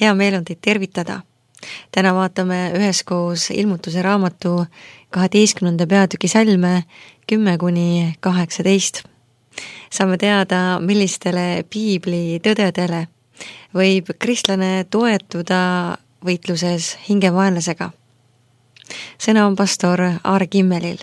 Hea meel on teid tervitada. Täna vaatame üheskoos Ilmutuse raamatu 12. peatüki salme 10-18. Saame teada, millistele piibli tõdedele võib kristlane toetuda võitluses hingevaenlasega. Sõna on pastor Aare Kimmelil.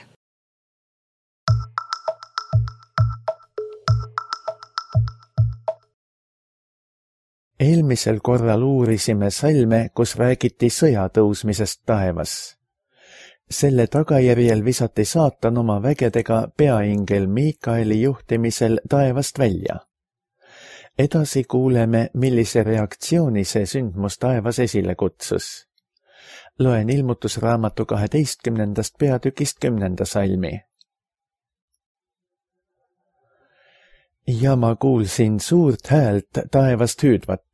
Eelmisel korral uurisime salme, kus räägiti sõja tõusmisest taevas. Selle tagajärjel visati saatan oma vägedega peaingel Miikaeli juhtimisel taevast välja. Edasi kuuleme, millise reaktsiooni see sündmus taevas esile kutsus. Loen Ilmutusraamatu 12. peatükist 10. salmi. Ja ma kuulsin suurt häält taevast hüüdvat.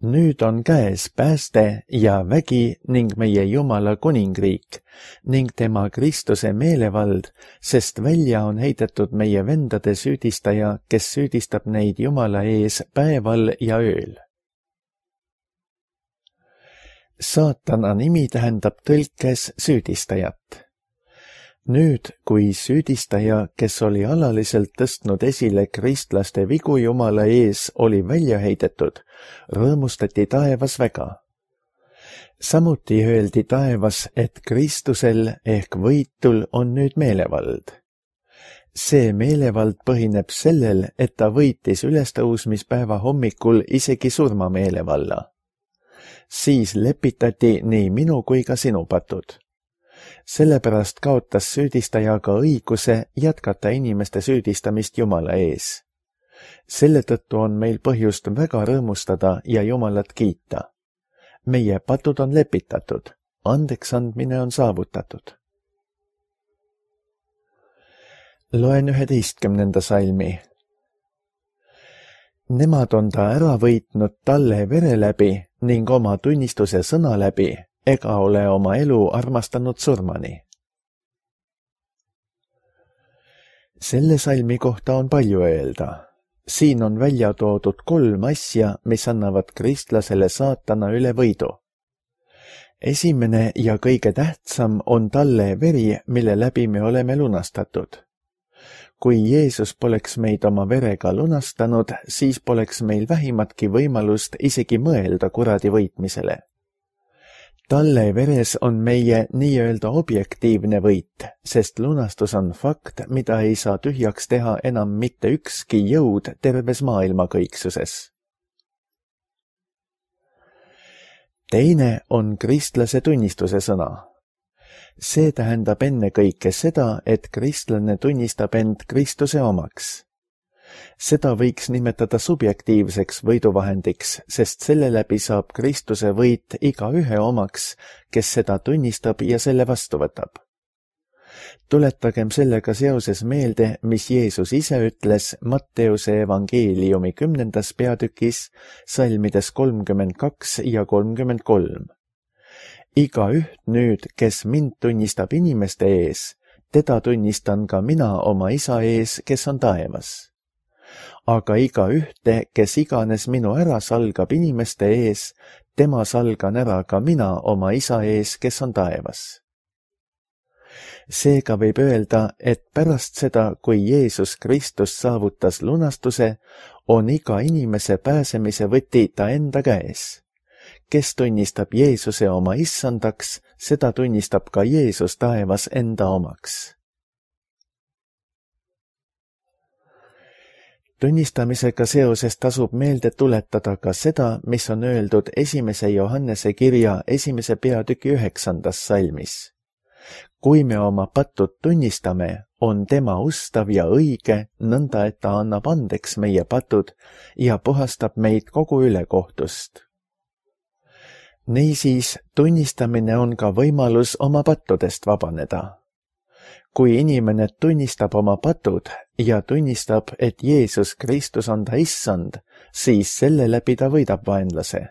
Nüüd on käes pääste ja vägi ning meie Jumala kuningriik ning tema Kristuse meelevald, sest välja on heidetud meie vendade süüdistaja, kes süüdistab neid Jumala ees päeval ja ööl. Saatana nimi tähendab tõlkes süüdistajat. Nüüd, kui süüdistaja, kes oli alaliselt tõstnud esile kristlaste vigu Jumala ees, oli välja heidetud, rõõmustati taevas väga. Samuti öeldi taevas, et Kristusel ehk võitul on nüüd meelevald. See meelevald põhineb sellel, et ta võitis ülestõusmispäeva hommikul isegi surmameelevalla. Siis lepitati nii minu kui ka sinu patud. Sellepärast kaotas süüdistaja ka õiguse jätkata inimeste süüdistamist Jumala ees. Selle tõttu on meil põhjust väga rõõmustada ja Jumalat kiita. Meie patud on lepitatud, andeks andmine on saavutatud. Loen 11. salmi. Nemad on ta ära võitnud talle vere läbi ning oma tunnistuse sõna läbi, ega ole oma elu armastanud surmani. Selle salmi kohta on palju öelda. Siin on välja toodud 3 asja, mis annavad kristlasele saatana üle võidu. Esimene ja kõige tähtsam on talle veri, mille läbi me oleme lunastatud. Kui Jeesus poleks meid oma verega lunastanud, siis poleks meil vähimatki võimalust isegi mõelda kuradi võitmisele. Talle veres on meie nii-öelda objektiivne võit, sest lunastus on fakt, mida ei saa tühjaks teha enam mitte ükski jõud terves maailma kõiksuses. Teine on kristlase tunnistuse sõna. See tähendab ennekõike seda, et kristlane tunnistab end Kristuse omaks. Seda võiks nimetada subjektiivseks võiduvahendiks, sest selle läbi saab Kristuse võit igaühe omaks, kes seda tunnistab ja selle vastu võtab. Tuletagem sellega seoses meelde, mis Jeesus ise ütles Matteuse evangeeliumi 10. peatükis, salmides 32 ja 33. Igaüht nüüd, kes mind tunnistab inimeste ees, teda tunnistan ka mina oma isa ees, kes on taevas. Aga igaühte, kes iganes minu ära salgab inimeste ees, tema salgan ära ka mina oma isa ees, kes on taevas. Seega võib öelda, et pärast seda, kui Jeesus Kristus saavutas lunastuse, on iga inimese pääsemise võti ta enda käes. Kes tunnistab Jeesuse oma issandaks, seda tunnistab ka Jeesus taevas enda omaks. Tunnistamisega seoses tasub meelde tuletada ka seda, mis on öeldud 1. Johannese kirja 1. peatüki 9. salmis. Kui me oma patud tunnistame, on tema ustav ja õige, nõnda et ta annab andeks meie patud ja puhastab meid kogu ülekohtust. Niisiis, tunnistamine on ka võimalus oma pattudest vabaneda. Kui inimene tunnistab oma patud ja tunnistab, et Jeesus Kristus on ta issand, siis selle läbi ta võidab vaenlase.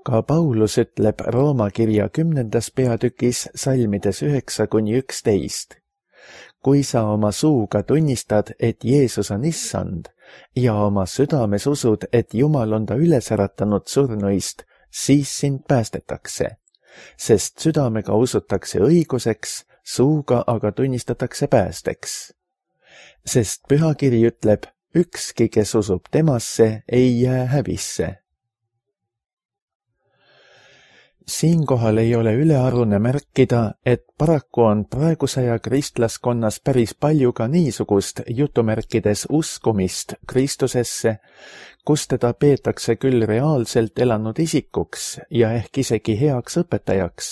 Ka Paulus ütleb Rooma kirja 10. peatükis salmides 9-11. Kui sa oma suuga tunnistad, et Jeesus on issand ja oma südames usud, et Jumal on ta üles äratanud surnuist, siis sind päästetakse, sest südamega usutakse õiguseks, suuga aga tunnistatakse päästeks. Sest pühakiri ütleb, ükski, kes usub temasse, ei jää häbisse. Siinkohal ei ole ülearune märkida, et paraku on praeguse aja kristlaskonnas päris palju ka niisugust jutumärkides uskumist Kristusesse, kus teda peetakse küll reaalselt elanud isikuks ja ehk isegi heaks õpetajaks,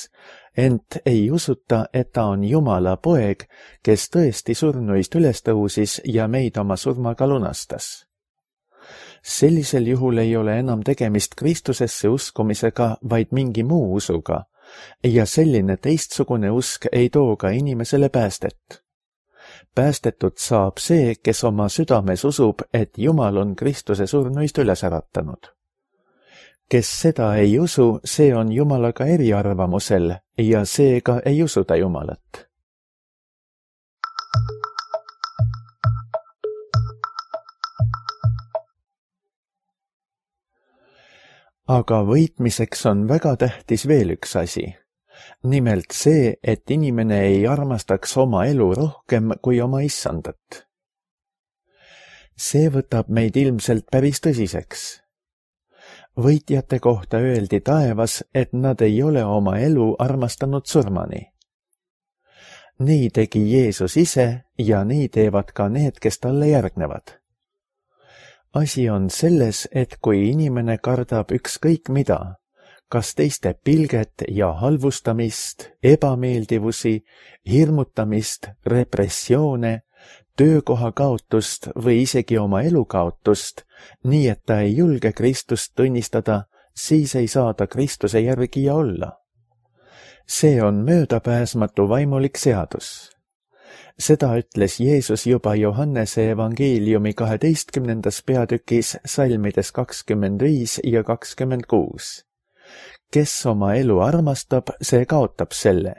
ent ei usuta, et ta on Jumala poeg, kes tõesti surnuist üles tõusis ja meid oma surmaga lunastas. Sellisel juhul ei ole enam tegemist Kristusesse uskumisega, vaid mingi muu usuga, ja selline teistsugune usk ei too ka inimesele päästet. Päästetud saab see, kes oma südames usub, et Jumal on Kristuse surnuist üles äratanud. Kes seda ei usu, see on Jumalaga eriarvamusel ja seega ei usuta Jumalat. Aga võitmiseks on väga tähtis veel üks asi. Nimelt see, et inimene ei armastaks oma elu rohkem kui oma issandat. See võtab meid ilmselt päris tõsiseks. Võitjate kohta öeldi taevas, et nad ei ole oma elu armastanud surmani. Nii tegi Jeesus ise ja nii teevad ka need, kes talle järgnevad. Asi on selles, et kui inimene kardab ükskõik mida, kas teiste pilget ja halvustamist, ebameeldivusi, hirmutamist, repressioone, töökoha kaotust või isegi oma elu kaotust, nii et ta ei julge Kristust tunnistada, siis ei saa ta Kristuse järgija olla. See on möödapääsmatu vaimulik seadus. Seda ütles Jeesus juba Johannese evangeeliumi 12. peatükis salmides 25 ja 26. Kes oma elu armastab, see kaotab selle.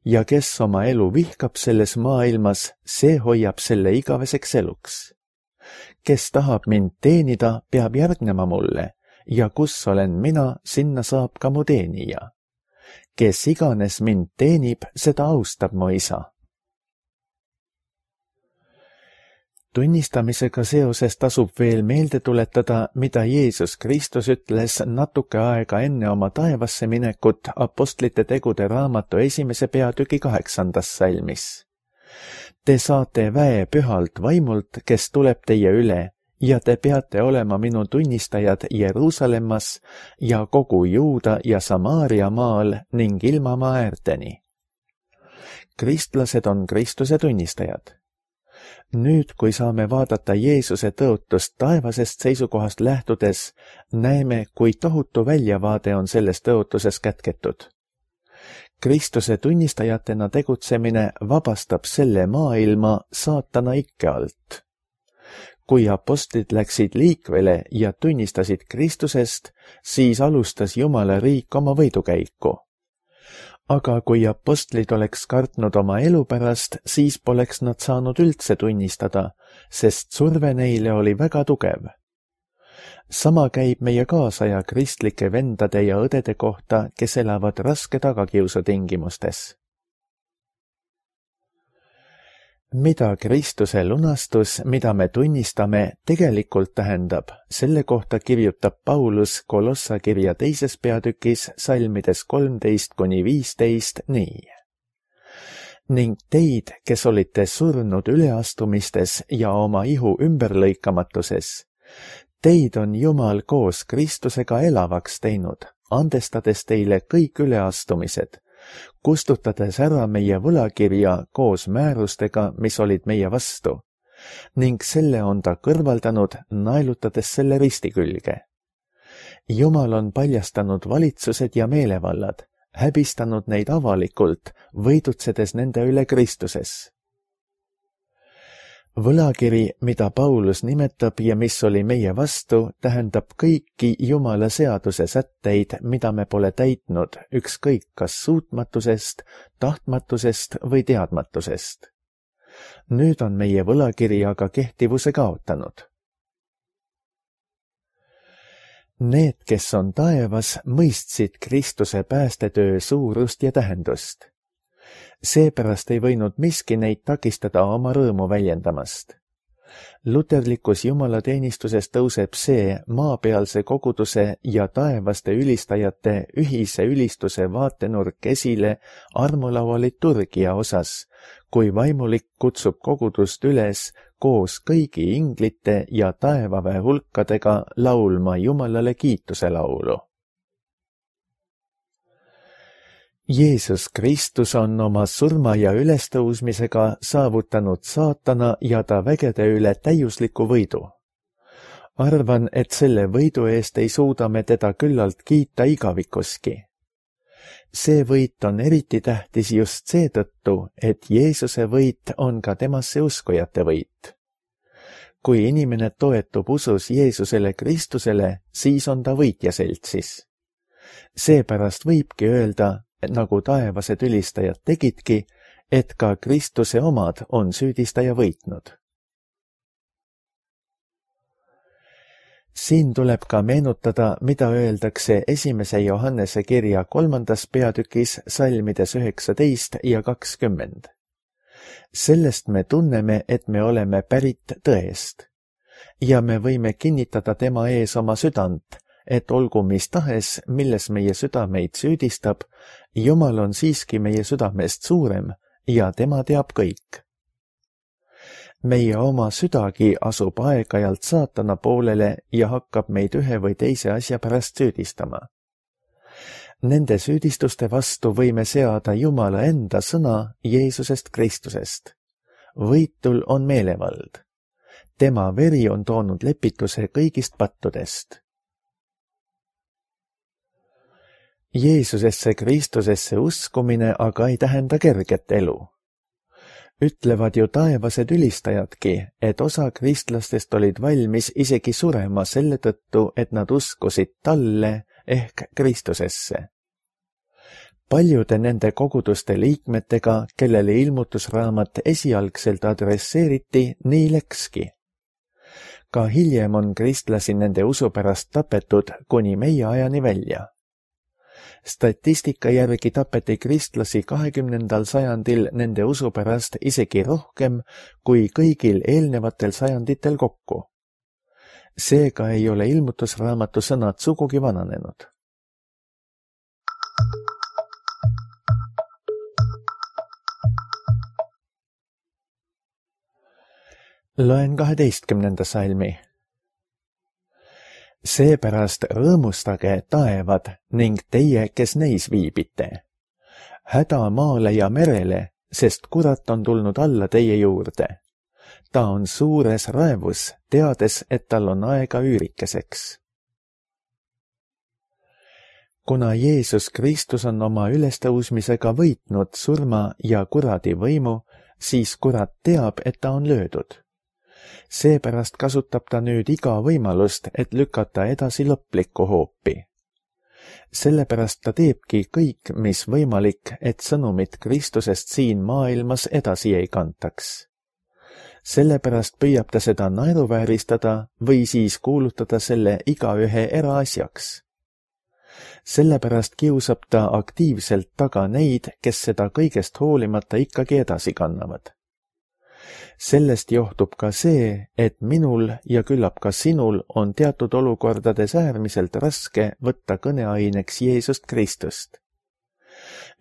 Ja kes oma elu vihkab selles maailmas, see hoiab selle igaveseks eluks. Kes tahab mind teenida, peab järgnema mulle, ja kus olen mina, sinna saab ka mu teenija. Kes iganes mind teenib, seda austab mu isa. Tunnistamisega seoses tasub veel meelde tuletada, mida Jeesus Kristus ütles natuke aega enne oma taevasse minekut Apostlite tegude raamatu 1. peatüki 8. salmis. Te saate väe pühalt vaimult, kes tuleb teie üle, ja te peate olema minu tunnistajad Jeruusalemmas ja kogu Juuda ja Samaaria maal ning ilmamaa äärteni. Kristlased on Kristuse tunnistajad. Nüüd, kui saame vaadata Jeesuse tõotust taevasest seisukohast lähtudes, näeme, kui tohutu väljavaade on selles tõotuses kätketud. Kristuse tunnistajatena tegutsemine vabastab selle maailma saatana ikke alt. Kui apostlid läksid liikvele ja tunnistasid Kristusest, siis alustas Jumala riik oma võidukäiku. Aga kui apostlid oleks kartnud oma elu pärast, siis poleks nad saanud üldse tunnistada, sest surve neile oli väga tugev. Sama käib meie kaasaja kristlike vendade ja õdede kohta, kes elavad raske tagakiusu tingimustes. Mida Kristuse lunastus, mida me tunnistame, tegelikult tähendab, selle kohta kirjutab Paulus Kolossa kirja 2. peatükis salmides 13-15 nii. Ning teid, kes olite surnud üleastumistes ja oma ihu ümberlõikamatuses, teid on Jumal koos Kristusega elavaks teinud, andestades teile kõik üleastumised, kustutades ära meie võlakirja koos määrustega, mis olid meie vastu, ning selle on ta kõrvaldanud, naelutades selle risti külge. Jumal on paljastanud valitsused ja meelevallad, häbistanud neid avalikult, võidutsedes nende üle Kristuses. Võlakiri, mida Paulus nimetab ja mis oli meie vastu, tähendab kõiki Jumala seaduse sätteid, mida me pole täitnud, ükskõik kas suutmatusest, tahtmatusest või teadmatusest. Nüüd on meie võlakiri aga kehtivuse kaotanud. Need, kes on taevas, mõistsid Kristuse päästetöö suurust ja tähendust. Seepärast ei võinud miski neid takistada oma rõõmu väljendamast. Luterlikus jumalateenistuses tõuseb see maapealse koguduse ja taevaste ülistajate ühise ülistuse vaatenurk esile armulaua liturgia osas, kui vaimulik kutsub kogudust üles koos kõigi inglite ja taevaväe hulkadega laulma Jumalale kiituse laulu. Jeesus Kristus on oma surma ja ülestõusmisega saavutanud saatana ja ta vägede üle täiusliku võidu. Arvan, et selle võidu eest ei suuda me teda küllalt kiita igavikuski. See võit on eriti tähtis just seetõttu, et Jeesuse võit on ka temasse uskujate võit. Kui inimene toetub usus Jeesusele Kristusele, siis on ta võitja seltsis. Seepärast võibki öelda, nagu taevased ülistajad tegidki, et ka Kristuse omad on süüdistaja võitnud. Siin tuleb ka meenutada, mida öeldakse 1. Johannese kirja 3. peatükis salmides 19 ja 20. Sellest me tunneme, et me oleme pärit tõest ja me võime kinnitada tema ees oma südant, et olgu mis tahes, milles meie südameid süüdistab, Jumal on siiski meie südamest suurem ja tema teab kõik. Meie oma südagi asub aeg-ajalt saatana poolele ja hakkab meid ühe või teise asja pärast süüdistama. Nende süüdistuste vastu võime seada Jumala enda sõna Jeesusest Kristusest. Võitul on meelevald. Tema veri on toonud lepituse kõigist pattudest. Jeesusesse Kristusesse uskumine aga ei tähenda kerget elu. Ütlevad ju taevased ülistajadki, et osa kristlastest olid valmis isegi surema selle tõttu, et nad uskusid talle ehk Kristusesse. Paljude nende koguduste liikmetega, kellele ilmutusraamat esialgselt adresseeriti, nii läkski. Ka hiljem on kristlasi nende usu pärast tapetud kuni meie ajani välja. Statistika järgi tapeti kristlasi 20. sajandil nende usu pärast isegi rohkem kui kõigil eelnevatel sajanditel kokku. Seega ei ole ilmutusraamatu sõnad sugugi vananenud. Loen 12. salmi. Seepärast rõõmustage taevad ning teie, kes neis viibite. Häda maale ja merele, sest kurat on tulnud alla teie juurde. Ta on suures raevus, teades, et tal on aega üürikeseks. Kuna Jeesus Kristus on oma ülestõusmisega võitnud surma ja kuradi võimu, siis kurat teab, et ta on löödud. Seepärast kasutab ta nüüd iga võimalust, et lükata edasi lõplikku hoopi. Sellepärast ta teebki kõik, mis võimalik, et sõnumit Kristusest siin maailmas edasi ei kantaks. Sellepärast püüab ta seda naeruvääristada või siis kuulutada selle igaühe eraasjaks. Sellepärast kiusab ta aktiivselt taga neid, kes seda kõigest hoolimata ikkagi edasi kannavad. Sellest johtub ka see, et minul ja küllap ka sinul on teatud olukordades äärmiselt raske võtta kõneaineks Jeesust Kristust.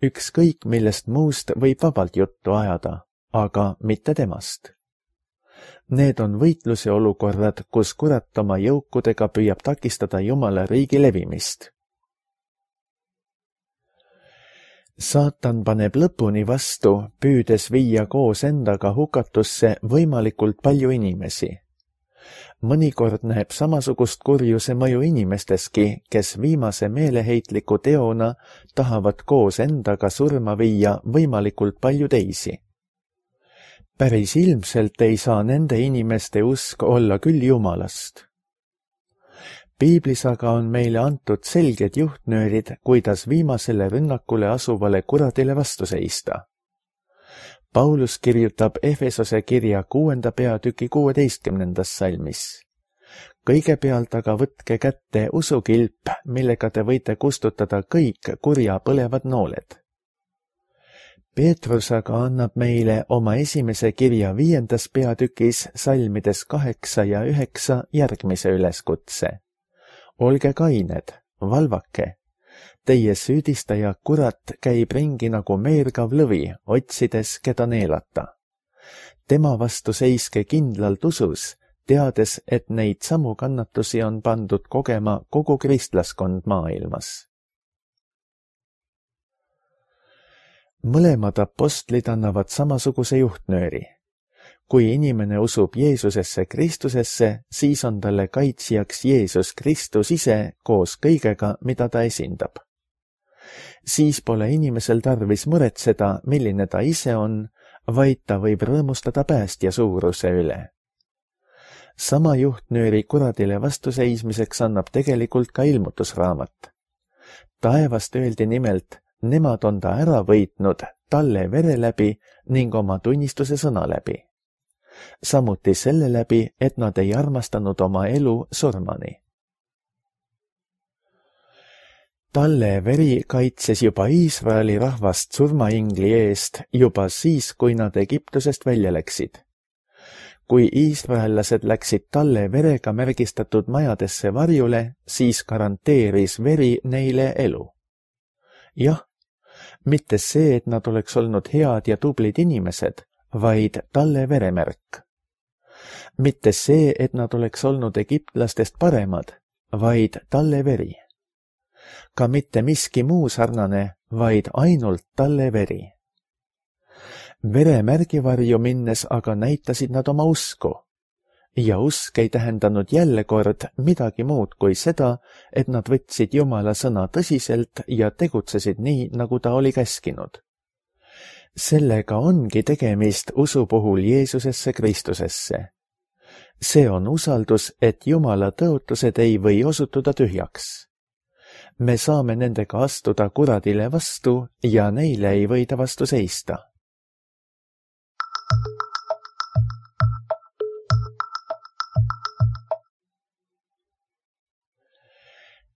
Ükskõik millest muust võib vabalt juttu ajada, aga mitte temast. Need on võitluse olukorrad, kus kurat oma jõukudega püüab takistada Jumala riigi levimist. Saatan paneb lõpuni vastu, püüdes viia koos endaga hukatusse võimalikult palju inimesi. Mõnikord näeb samasugust kurjuse mõju inimesteski, kes viimase meeleheitliku teona tahavad koos endaga surma viia võimalikult palju teisi. Päris ilmselt ei saa nende inimeste usk olla küll Jumalast. Piiblis aga on meile antud selged juhtnöörid, kuidas viimasele rünnakule asuvale kuradile vastu seista. Paulus kirjutab Efesose kirja 6. peatüki 16. salmis. kõigepealt aga võtke kätte usukilp, millega te võite kustutada kõik kurja põlevad nooled. Peetrus aga annab meile oma esimese kirja 5. peatükis salmides 8 ja 9 järgmise üleskutse. Olge kained, valvake. Teie süüdistaja kurat käib ringi nagu meergav lõvi, otsides, keda neelata. Tema vastu seiske kindlalt usus, teades, et neid samu kannatusi on pandud kogema kogu kristlaskond maailmas. Mõlemad apostlid annavad samasuguse juhtnööri. Kui inimene usub Jeesusesse Kristusesse, siis on talle kaitsjaks Jeesus Kristus ise koos kõigega, mida ta esindab. Siis pole inimesel tarvis muretseda, milline ta ise on, vaid ta võib rõõmustada päästja suuruse üle. Sama juhtnööri kuradile vastuseismiseks annab tegelikult ka ilmutusraamat. Taevast öeldi nimelt, nemad on ta ära võitnud talle vere läbi ning oma tunnistuse sõna läbi. Samuti selle läbi, et nad ei armastanud oma elu surmani. Talle veri kaitses juba Iisraeli rahvast surmaingli eest juba siis, kui nad Egiptusest välja läksid. Kui iisraellased läksid talle verega märgistatud majadesse varjule, siis garanteeris veri neile elu. Jah, mitte see, et nad oleks olnud head ja tublid inimesed, vaid talle veremärk. Mitte see, et nad oleks olnud egiptlastest paremad, vaid talle veri. Ka mitte miski muu sarnane, vaid ainult talle veri. Veremärgivarju minnes aga näitasid nad oma usku. Ja usk ei tähendanud jälle kord midagi muud kui seda, et nad võtsid Jumala sõna tõsiselt ja tegutsesid nii, nagu ta oli käskinud. Sellega ongi tegemist usu puhul Jeesusesse Kristusesse. See on usaldus, et Jumala tõotused ei või osutuda tühjaks. Me saame nendega astuda kuradile vastu ja neile ei võida vastu seista.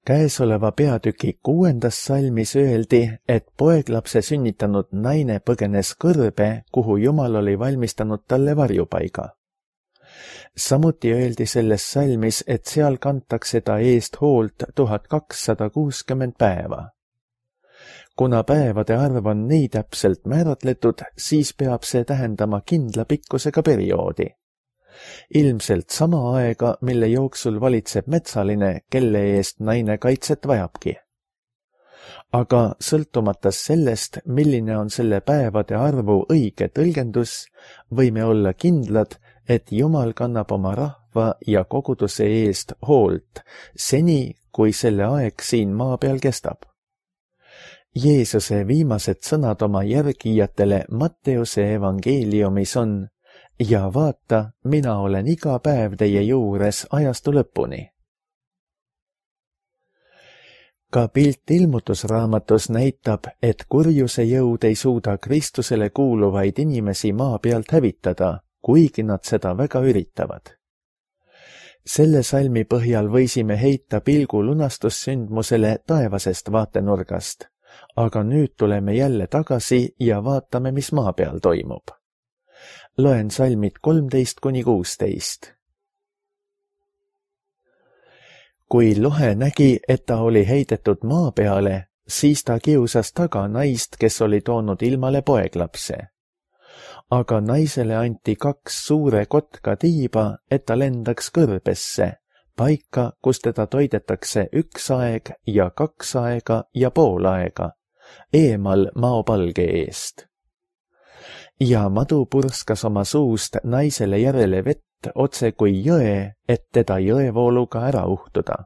Käesoleva peatüki 6. salmis öeldi, et poeglapse sünnitanud naine põgenes kõrbe, kuhu Jumal oli valmistanud talle varjupaiga. Samuti öeldi selles salmis, et seal kantakse ta eest hoolt 1260 päeva. Kuna päevade arv on nii täpselt määratletud, siis peab see tähendama kindla pikkusega perioodi. Ilmselt sama aega, mille jooksul valitseb metsaline, kelle eest naine kaitset vajabki. Aga sõltumata sellest, milline on selle päevade arvu õige tõlgendus, võime olla kindlad, et Jumal kannab oma rahva ja koguduse eest hoolt, seni kui selle aeg siin maa peal kestab. Jeesuse viimased sõnad oma järgijatele Matteuse evangeeliumis on: ja vaata, mina olen iga päev teie juures ajastu lõpuni. Ka pilt ilmutusraamatus näitab, et kurjuse jõud ei suuda Kristusele kuuluvaid inimesi maa pealt hävitada, kuigi nad seda väga üritavad. Selle salmi põhjal võisime heita pilgu lunastussündmusele taevasest vaatenurgast, aga nüüd tuleme jälle tagasi ja vaatame, mis maa peal toimub. Loen salmid 13–16. Kui lohe nägi, et ta oli heidetud maa peale, siis ta kiusas taga naist, kes oli toonud ilmale poeglapse. Aga naisele anti 2 suure kotka tiiba, et ta lendaks kõrbesse, paika, kus teda toidetakse 1 aeg ja 2 aega ja pool aega, eemal maopalge eest. Ja madu purskas oma suust naisele järele vett otse kui jõe, et teda jõevooluga ära uhtuda.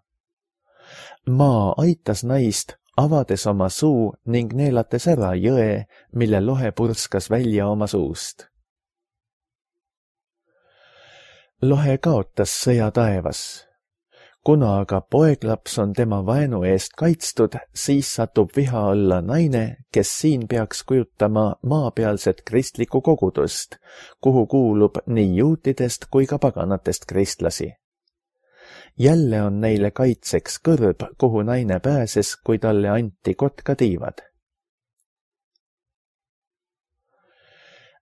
Maa aitas naist, avades oma suu ning neelates ära jõe, mille lohe purskas välja oma suust. Lohe kaotas sõja taevas. Kuna aga poeglaps on tema vaenu eest kaitstud, siis satub viha alla naine, kes siin peaks kujutama maapealset kristlikku kogudust, kuhu kuulub nii juutidest kui ka paganatest kristlasi. Jälle on neile kaitseks kõrb, kuhu naine pääses, kui talle anti kotkatiivad.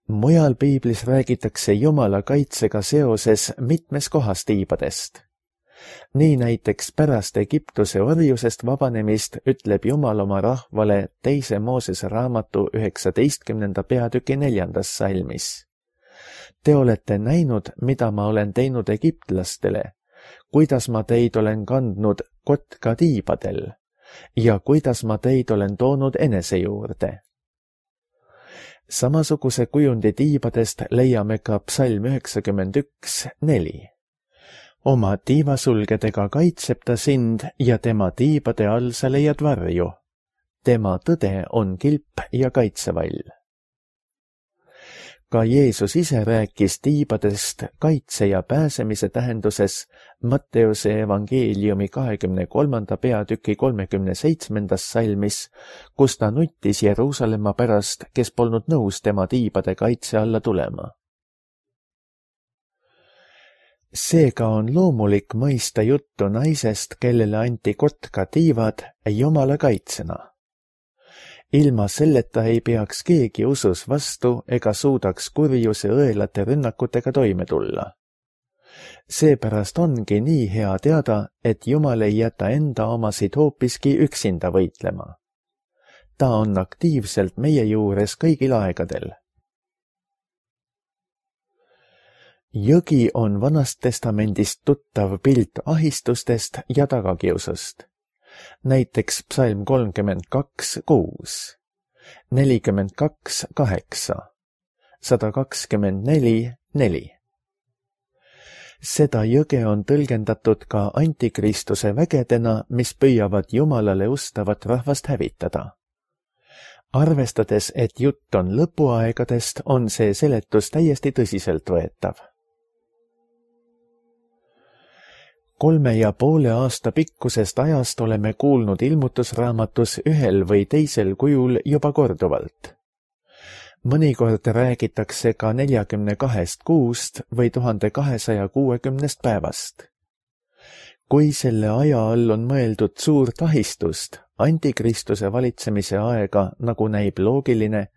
Mujal piiblis räägitakse Jumala kaitsega seoses mitmes kohas tiibadest. Nii näiteks pärast Egiptuse orjusest vabanemist ütleb Jumal oma rahvale 2. Moosese raamatu 19. peatüki 4. salmis. Te olete näinud, mida ma olen teinud egiptlastele, kuidas ma teid olen kandnud kotka tiibadel ja kuidas ma teid olen toonud enese juurde. Samasuguse kujundi tiibadest leiame ka psalm 91:4. Oma tiivasulgedega kaitseb ta sind ja tema tiibade all sa leiad varju. Tema tõde on kilp ja kaitsevall. Ka Jeesus ise rääkis tiibadest kaitse ja pääsemise tähenduses Matteuse evangeeliumi 23. peatüki 37. salmis, kus ta nuttis Jeruusalemma pärast, kes polnud nõus tema tiibade kaitse alla tulema. Seega on loomulik mõista juttu naisest, kellele anti kotka tiivad Jumala kaitsena. Ilma selleta ei peaks keegi usus vastu ega suudaks kurjuse õelate rünnakutega toime tulla. Seepärast ongi nii hea teada, et Jumal ei jäta enda omasid hoopiski üksinda võitlema. Ta on aktiivselt meie juures kõigil aegadel. Jõgi on Vanast Testamendist tuttav pilt ahistustest ja tagakiusust. Näiteks psalm 32:6, 42:8, 124:4. Seda jõge on tõlgendatud ka antikristuse vägedena, mis püüavad Jumalale ustavat rahvast hävitada. Arvestades, et jutt on lõpuaegadest, on see seletus täiesti tõsiseltvõetav. 3,5 aasta pikkusest ajast oleme kuulnud ilmutusraamatus ühel või teisel kujul juba korduvalt. Mõnikord räägitakse ka 42 kuust või 1260 päevast. Kui selle aja all on mõeldud suurt ahistust, antikristuse valitsemise aega, nagu näib loogiline,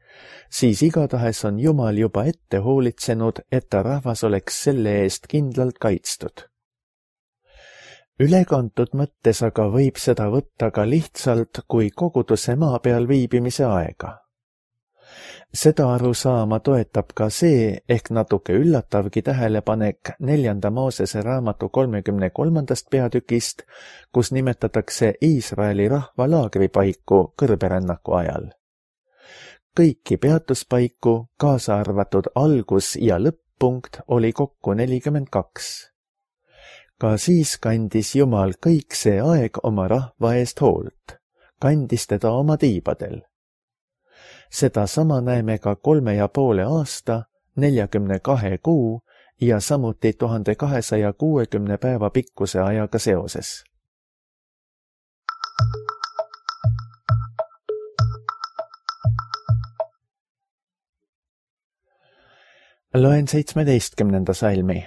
siis igatahes on Jumal juba ette hoolitsenud, et ta rahvas oleks selle eest kindlalt kaitstud. Ülekantud mõttes aga võib seda võtta ka lihtsalt kui koguduse maa peal viibimise aega. Seda arusaama toetab ka see ehk natuke üllatavgi tähelepanek 4. Moosese raamatu 33. peatükist, kus nimetatakse Iisraeli rahva laagripaiku kõrberännaku ajal. Kõiki peatuspaiku, kaasa arvatud algus- ja lõpp-punkt, oli kokku 42. Ka siis kandis Jumal kõik see aeg oma rahva eest hoolt, kandis teda oma tiibadel. Seda sama näeme ka 3,5 aasta, 42 kuu ja samuti 1260 päeva pikkuse ajaga seoses. Loen 17. salmi.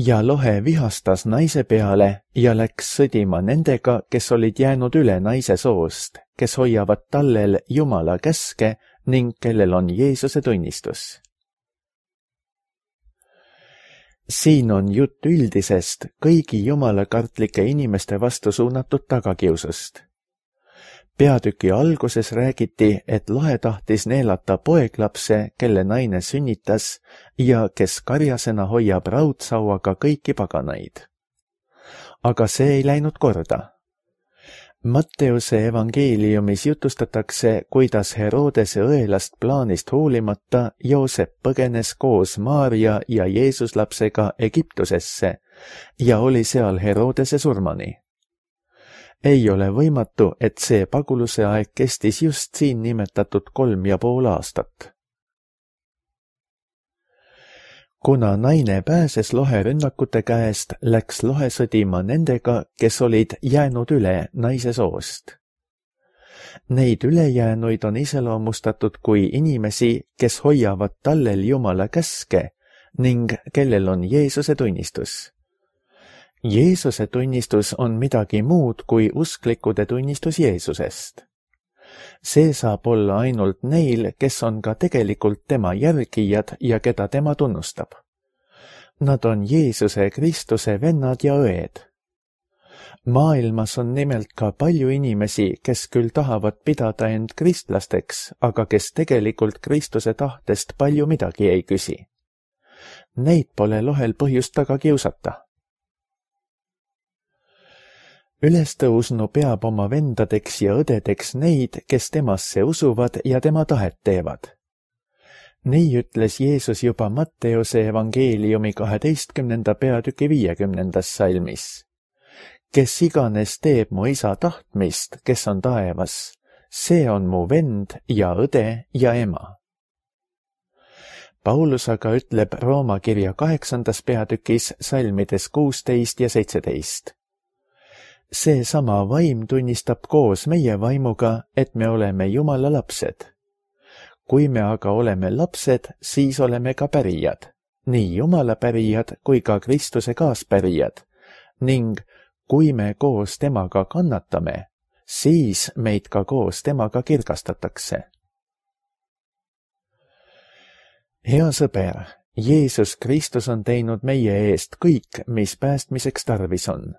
Ja lohe vihastas naise peale ja läks sõdima nendega, kes olid jäänud üle naise soost, kes hoiavad tallel Jumala käske ning kellel on Jeesuse tunnistus. Siin on jutt üldisest, kõigi jumalakartlike inimeste vastu suunatud tagakiusust. Peatüki alguses räägiti, et lahe tahtis neelata poeglapse, kelle naine sünnitas ja kes karjasena hoiab raudsauaga kõiki paganaid. Aga see ei läinud korda. Matteuse evangeeliumis jutustatakse, kuidas Herodese õelast plaanist hoolimata Joosep põgenes koos Maaria ja Jeesuslapsega Egiptusesse ja oli seal Herodese surmani. Ei ole võimatu, et see paguluse aeg kestis just siin nimetatud 3,5 aastat. Kuna naine pääses loherünnakute käest, läks lohe sõdima nendega, kes olid jäänud üle naise soost. Neid ülejäänuid on iseloomustatud kui inimesi, kes hoiavad tallel Jumala käske ning kellel on Jeesuse tunnistus. Jeesuse tunnistus on midagi muud kui usklikude tunnistus Jeesusest. See saab olla ainult neil, kes on ka tegelikult tema järgijad ja keda tema tunnustab. Nad on Jeesuse Kristuse vennad ja õed. Maailmas on nimelt ka palju inimesi, kes küll tahavad pidada end kristlasteks, aga kes tegelikult Kristuse tahtest palju midagi ei küsi. Neid pole lohel põhjust taga kiusata. Ülestõusnu peab oma vendadeks ja õdedeks neid, kes temasse usuvad ja tema tahet teevad. Nii ütles Jeesus juba Matteuse evangeeliumi 12. peatüki 50. salmis. Kes iganes teeb mu isa tahtmist, kes on taevas, see on mu vend ja õde ja ema. Paulus aga ütleb Rooma kirja 8. peatükis salmides 16 ja 17. See sama vaim tunnistab koos meie vaimuga, et me oleme Jumala lapsed. Kui me aga oleme lapsed, siis oleme ka pärijad, nii Jumala pärijad kui ka Kristuse kaaspärijad, ning kui me koos temaga kannatame, siis meid ka koos temaga kirgastatakse. Hea sõber, Jeesus Kristus on teinud meie eest kõik, mis päästmiseks tarvis on.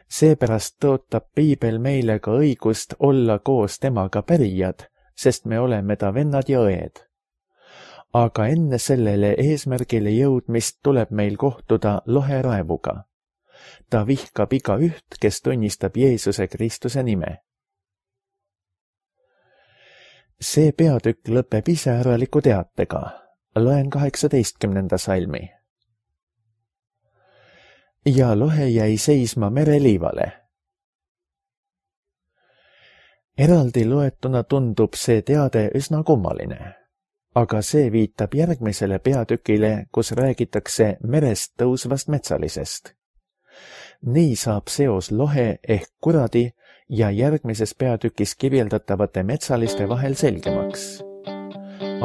Seepärast tõotab Piibel meile ka õigust olla koos temaga pärijad, sest me oleme ta vennad ja õed. Aga enne sellele eesmärgile jõudmist tuleb meil kohtuda loheraevuga. Ta vihkab igaüht, kes tunnistab Jeesuse Kristuse nime. See peatükk lõpeb iseäraliku teatega. Loen 18. salmi. Ja lohe jäi seisma mereliivale. Eraldi loetuna tundub see teade üsna kummaline, aga see viitab järgmisele peatükile, kus räägitakse merest tõusvast metsalisest. Nii saab seos lohe ehk kuradi ja järgmises peatükis kirjeldatavate metsaliste vahel selgemaks.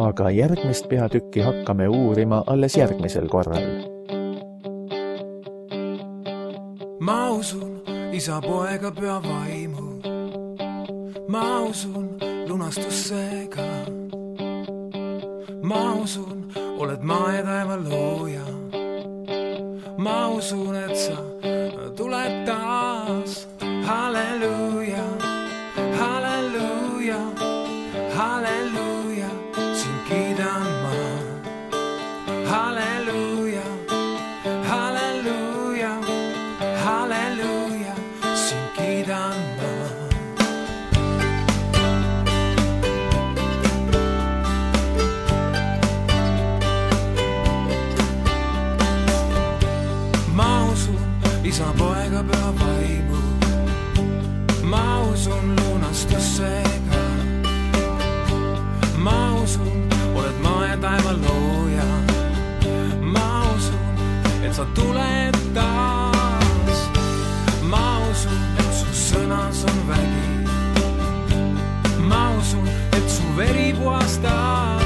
Aga järgmist peatükki hakkame uurima alles järgmisel korral. Ma usun isa, poega, püha vaimu. Ma usun lunastusse ka. Ma usun, oled maa ja taeva looja. Ma usun, et sa tuled taas. Halleluuja, halleluuja, halleluuja, sind kiidan ma. Halleluuja, halleluuja, halleluuja, sind kiidan ma. Ma usun isa, poega, püha vaimu. Ma usun lunastusse ka. Ma usun, oled maa ja taeva looja. Ma usun, et sa tuled taas. Ma usun, et su sõnas on vägi. Ma usun, et su veri puhastab.